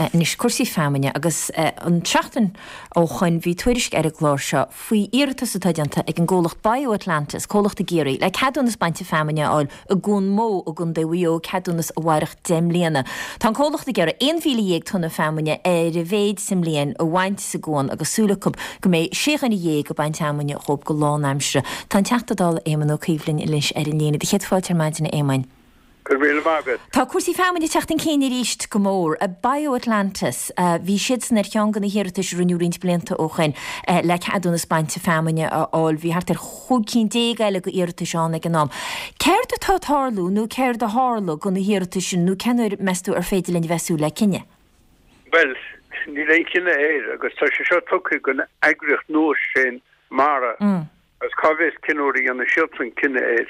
Anois, cúrsaí feamainne agus an tseachtain ó shoin bhí tuairisc ar an gclár seo faoi iarratas atá déanta ag an gcomhlacht BioAtlantis, comhlacht i gCiarraí, le ceadúnas bainte feamainne a fháil i gCuan Mó i gContae Mhaigh Eo, ceadúnas a mhairfeadh 10 mbliana. Tá an comhlacht ag iarraidh 11,000 tonna feamainne ar a mhéid sa mbliain a bhaint sa gcuan agus súil acu go mbeidh 16 dhuine ag baint fheamainne dhóibh go lánaimseartha. Tá an Teachta Dála Éamon Ó Cuív linn anois ar an líne. Do chéad fáilte ar maidin a Éamoin. Go raibh míle maith agat. Tá cúrsaí feamainne ag teacht chun cinn arís go mór. BioAtlantis, bhí siadsan ar cheann de na hiarratais a rinneadh roinnt blianta ó shoin le ceadúnas bainte feamainne a fháil. Bhí thart ar 15 cinn eile de iarratais ann ag an am. Céard atá ag tarlú nó céard a tharla do na hiarratais sin nó cén uair, meas tú, ar féidir linn a bheith ag súil le cinneadh? Bhuel, níl aon chinneadh air agus tá sé seo tugtha don eagraíocht nua sin, Mara. Agus cá bhfios cén uair a dhéanfaidh siadsan cinneadh air.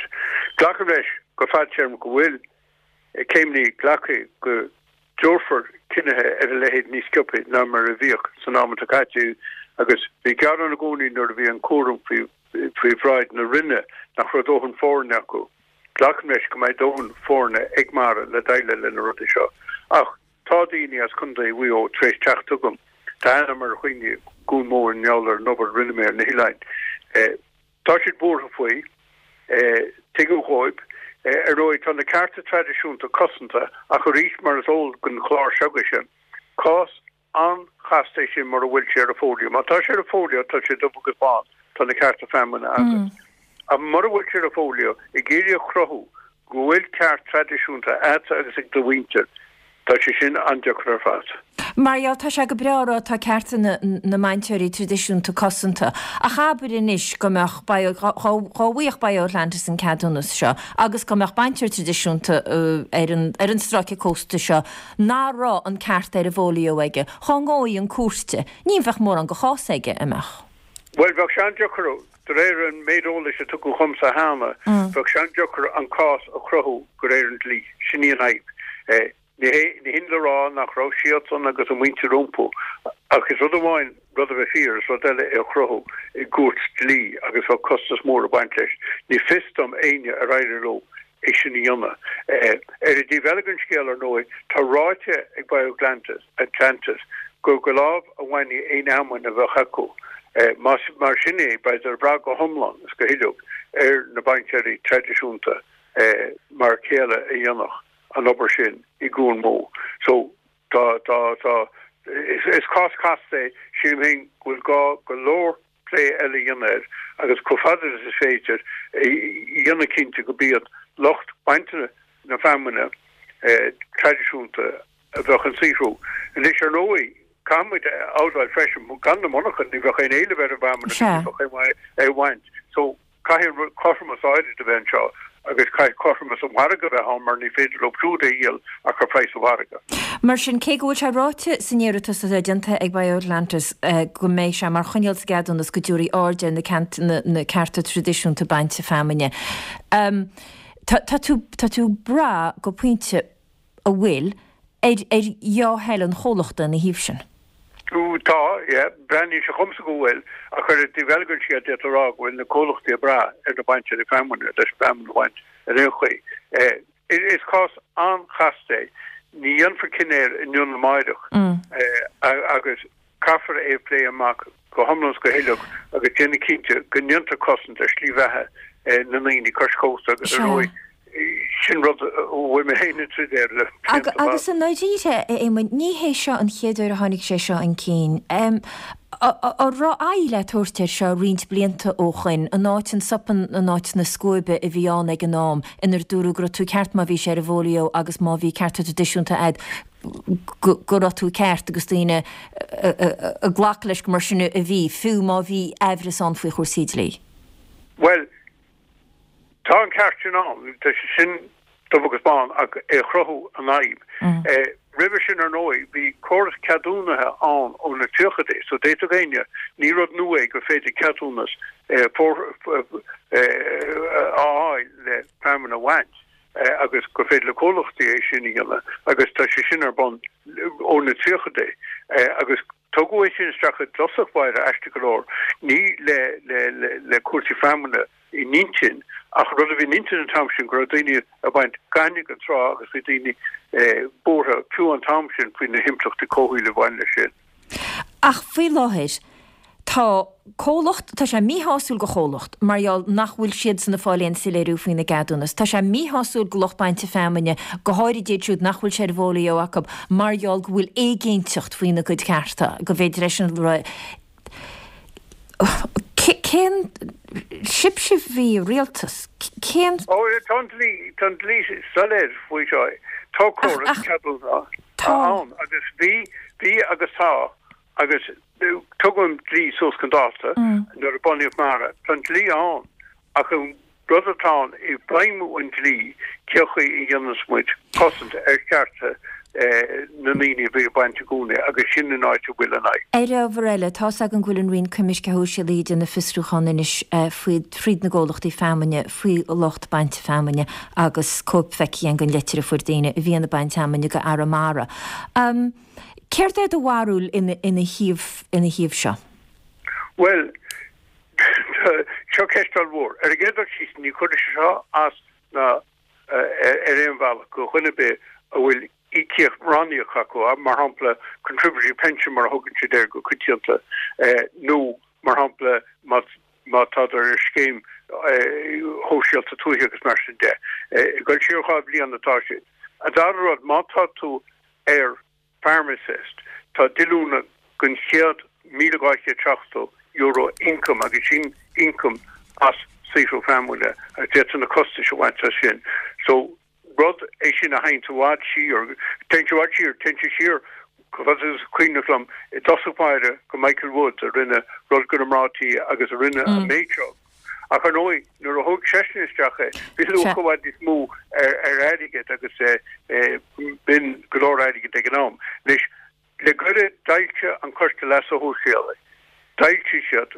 Glacaim leis go fadtéarmach go bhfuil céimeanna glactha go dtabharfar cinnithe ar a leithéid níos sciobtha ná mar a bhíodh san am atá caite agus bhí gearán i gcónaí nuair a bhí an cúram faoi faoi bhráid na Roinne nach raibh dóthain foirne acu. Glacaim leis go mbeidh dóthain foirne ag Mara le déileáil le na rudaí seo. Ach Tá daoine as Contae Mhaigh Eo tar éis teacht chugam. Tá aithne agam ar dhaoine i gCuan Mó i ngeall ar an obair a rinne mé ar na hoileáin. Tá siad buartha faoi. Tuigim dhóibh. Ar ndóigh, tá na cearta traidisiúnta cosanta ach arís, mar is eol don chlár seo agaibhse, cás an-chasta é sin mura bhfuil sé ar an bhfóilió. Má tá sé ar an bhfóilió, tá sé dubh agus bán, tá na cearta feamainne agat. Ach mura bhfuil sé ar an bhfóilió, ag iarraidh a chruthú go bhfuil ceart traidisiúnta agatsa agus ag do mhuintir, tá sé sin an-deacair ar fad. Mar gheall, tá sé go breá a rá tá cearta na mbainteoirí traidisiúnta cosanta, ach abair anois go mbeadh Bio, dá bhfaigheadh BioAtlantis an ceadúnas seo agus go mbeadh bainteoir traidisiúnta ar an ar an stráice cósta seo nach raibh an ceart ar an bhfóilió aige, dhá ngabhfaí chun cúirte, ní bheadh mórán de chás aige, an mbeadh? Bhuel, bheadh sé an-deacair. De réir an méid eolais a tugadh dhomsa cheana, bheadh sé an-deacair an cás a chruthú de réir an dlí. Sin í an fhadhb. Ní hé, ní hin le rá nach raibh siadsan agus a muintir rompu, ach is rud amháin rud a bheith fíor, is rud eile é a chruthú i gcúirt dlí agus bheadh costas mór ag baint leis. Ní fios dom éinne ar éirigh leo é sin a dhéanamh. Ar an dtaobh eile den scéal, ar ndóigh, tá ráite ag BioAtlantis Atlantis gur de láimh a bhainfí aon fheamainn a bheadh acu. Más mar sin é, beidh ag brath go hiomlán is go huileag ar na bainteoirí traidisiúnta mar a chéile a dhéanfadh an obair sin i gCuan Mó. So, tá, tá, tá, is cás casta é. Sílim féin go bhfuil gá go leor plé eile a dhéanamh air agus chomh fada is is féidir a dhéanamh cinnte go b'iad lucht bainte na feamainne traidisiúnta a bheadh ag saothrú. Anois, ar ndóigh, caithfidh muid a admháil freisin, gan na monarchana ní bheadh aon éileamh ar an bhfeamainn agus ní bheadh aon mhaith é a bhaint. So, Caithfidh cothromas áirid a bheith anseo agus caithfidh cothromas an mhargaidh a bheith ann mar ní féidir leo siúd é a dhíol ach ar phraghas an mhargaidh. Mar sin, cé go bhfuil sé ráite san iarratas atá déanta ag BioAtlantis go mbeidh sé mar choinníoll sa gceadúnas go dtabharfaí aird ar na cearta traidisiúnta bainte feamainne, tá tú ag brath go pointe, a bhfuil ar ar dhea-thoil an chomhlachta ina thaobh sin. Tá, yeah. Breathnaíonn sé dhomsa go bhfuil, ach ar an dtaobh eile den scéal d'fhéadfá a rá go bhfuil na comhlachtaí ag brath ar na bainteoirí feamainne leis an bhfeamainn a bhaint ar aon chaoi. Is cás an-chasta é. Ní dhéanfar cinneadh air inniu ná amáireach agus Caithfear é a phlé amach go hiomlán is go huileag agus déanamh cinnte go ndéantar cosaint ar shlí bheatha na ndaoine cois cósta agus ar ndóigh sin rud a bhfuil mé féin ag troid air le blianta fada. Agus i ndáiríre, a Éamoinn, ní hé seo an chéad uair a tháinig sé seo chun cinn. An raibh aghaidh le tabhairt air seo roinnt blianta ó shoin, in áit an sop in áit na scuaibe a bhí ann ag an am, inar dúradh go raibh tú ceart má bhí sé ar an bhfóilió agus má bhí cearta traidisiúnta a'd, go raibh tú ceart agus daoine ag glacadh leis go mar sin a bhí, fiú má bhí aimhreas ann faoi chúrsaí dlí. Bhuel, tá an ceart sin ann, tá sé sin dubh agus bán ach é a chruthú an fhadhb. Roimhe sin, ar ndóigh, bhí córas ceadúnaithe ann ó na tríochaidí, so d'fhéadfadh éinne, ní rud nua é gur féidir ceadúnas a fháil le feamainn a bhaint. agus gur féidir le comhlachtaí é sin a dhéanamh agus tá sé sin ar bun ó na tríochaidí agus tugadh é sin isteach i dtosach báire, aisteach go leor, ní le le le cúrsaí feamainne in intinn. Ach an rud a bhí in intinn an t-am sin go raibh daoine ag baint gainimh den trá agus bhí daoine buartha fiú an t-am sin faoi na himpleachtaí comhshaoil a bhain leis sin. Ach faoi láthair tá comhlacht, tá sé míshásúil go chomhlacht mar gheall nach bhfuil siadsan ag fáil aon soiléiriú faoina gceadúnas. Tá sé míshásúil go lucht bainte feamainne, go háirid iad siúd nach bhfuil sé ar bhfolio acu mar gheall go bhfuil éiginnteacht faoina gcuid cearta, go mb'fhéidir leis an Cén, sibhse a bhí i rialtas, cén. Ó, tá an dlí, tá an dlí soiléir faoi seo. Tá córas ceadúnas ann agus bhí, bhí agus tá agus tugadh an dlí suas chun dáta nuair a bunaíodh MARA. Tá an dlí ann ach an rud atá ann i bhfeidhmiú an dlí, cén chaoi a dhéananns muid cosaint ar chearta na ndaoine a bhí ag baint i gcónaí agus sin an áit a bhfuil an fhadhb. Ar ábhar eile, tá's agam go bhfuil an Roinn Coimirce Shóisialaí ag déanamh fiosrúchán anois faoi, fríd na gcomhlachtaí feamainne, faoi lucht bainte feamainne agus cóip feicthe againn den leitir a fuair daoine a bhíonn ag baint feamainne go Arramara. Céard é do bharúil ina thaobh, ina thaobh seo? Bhuel, Seo ceist ollmhór. Ar an gcéad dul síos, ní chuirfidh sé seo as ná ar aon bhealach go dhuine ar bith a bhfuil íocaíocht ranníoc acu, mar shampla contributory pension mar a thugann siad air go coitianta, nó mar shampla má tádar ar scéim shóisialta tuaithe agus mar sin de. Ag dul siar 2 bhliain atá siad. An dara rud, má tá tú ar Farm Assist, tá díolúine den chéad €1,270 ioncaim agus sin ioncam as saothrú feamainne agus d'fhéadfá na costais a bhaint as sin. So rud é sin a théann i bhfad siar, téann sé i bhfad siar, téann sé siar chomh fada is cuimhneach liom i dtosach báire go Michael Woods a rinne rud go na mná tí agus a rinne an méid seo. Ach ar ndóigh, nuair a thóg seisean isteach é, bhí luach i bhfad níos mó ar airgead agus b'in go leor airgid ag an am. Anois, le gairid d'fhoilsigh an Coiste Leasa Shóisialaigh, d'fhoilsigh siad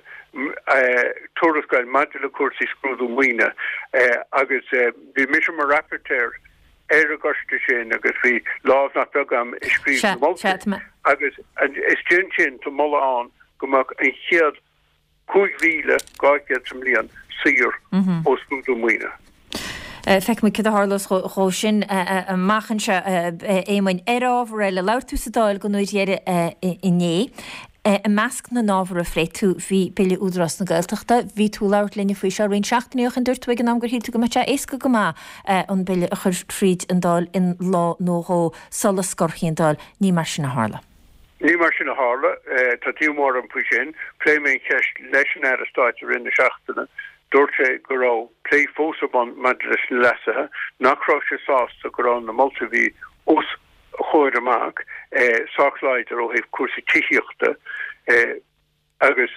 tuarascáil maidir le cúrsaí scrúdú maoine agus bhí mise mar rapporteur ar an gcoiste sin agus bhí lámh nach beag agam i scríobh na moltaí agus istigh ansin tá moladh ann go mbeadh an chéad 5,200 sa mbliain saor ó scrúdú maoine. Feicfidh muid cad a tharlós dhó sin amach anseo, a Éamoinn. Ar ábhar eile, labhair tú sa Dáil don uair dheiridh inné. I measc na n-ábhar a phléigh tú bhí Bille Údarás na Gaeltachta. Bhí tú ag labhairt linne faoi seo roinnt seachtainí ó shin. Dúirt tú ag an am gur shíl tú go mbeadh sé éasca go maith an bille a chur fríd an Dáil in lá nó dhó sula scorfaí an Dáil. Ní mar sin a tharla. Ní mar sin a tharla. Tá díomá orm faoi sin. Phléigh mé an cheist leis an Aire Stáit i rith na seachtaine. Dúirt sé go raibh plé fós ar bun maidir leis na leasuithe, nach raibh sé sásta go raibh na moltaí a bhí os a chomhair amach sách láidir ó thaobh cúrsaí tithíochta. Agus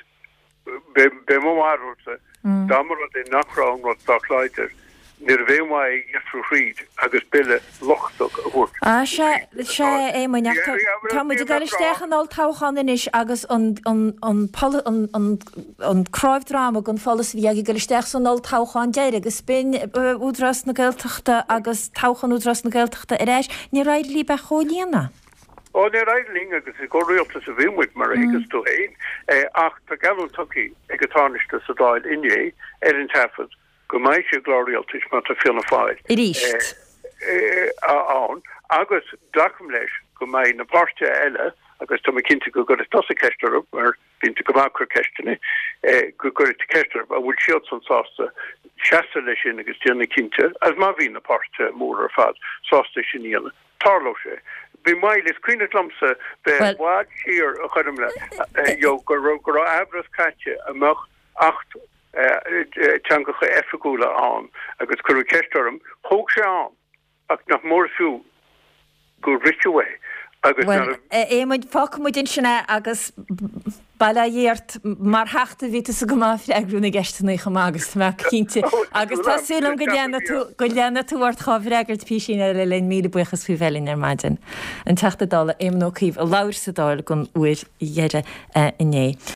b'é mo bharúilsa, dá mba rud é nach raibh an rud sách láidir, níorbh aon mhaith é a dheifriú thríd agus bille lochtach a thabhairt. Á, sea, sea, a Éamoinn, ach tá, tá muid ag dul isteach in olltoghchán anois agus an, an, an, an, an, an cnámh droma den pholasaí a bhí agaibh ag dul isteach san olltoghchán deiridh agus b'in Údarás na Gaeltachta agus toghchán Údarás na Gaeltachta ar ais, níor éirigh libh é a chomhlíonadh. Ó, níor éirigh linn agus i gcomhrialtas a bhí muid, mar a thuigeas tú féin. Ach tá geallúint tugtha ag an Tánaiste sa Dáil inné, ar an taifead, go mbeidh sé i gclár rialtais má tá Fianna Fáil Arís. ann. Agus glacaim leis go mbeidh na páirtithe eile, agus tá mé cinnte go gcuirfidh tusa ceist orthu, mar bíonn tú go maith ag cur ceisteanna, go gcuirfidh tú ceist orthu an bhfuil siadsan sásta seasamh leis sin agus déanamh cinnte, agus má bhíonn na páirtithe móra ar fad sásta é sin a dhéanamh. Tarlóidh sé. Bhí moill, is cuimhneach liomsa bheith i bhfad siar a chuirim le, you know, go raibh, go raibh aimhreas caite an mbeadh Acht Teangacha Oifigiúla ann agus cuireadh ceist orm, thóg sé am ach nach mór is fiú gur ritheadh é agus Bhuel, a Éamoinn, fágfaidh muid ansin é agus Bail ó Dhia ort, mar Theachta bhí tusa go maith ag freagrú na gceisteanna chomh maith agus tá mé cinnte agus tá súil agam go leanfaidh tú go leanfaidh tú ort dhá bhfreagairt písín eile linn. Míle buíochas faoi bheith linn ar maidin. An Teachta Dála Éamon Ó Cuív a labhair sa Dáil don uair dheiridh inné.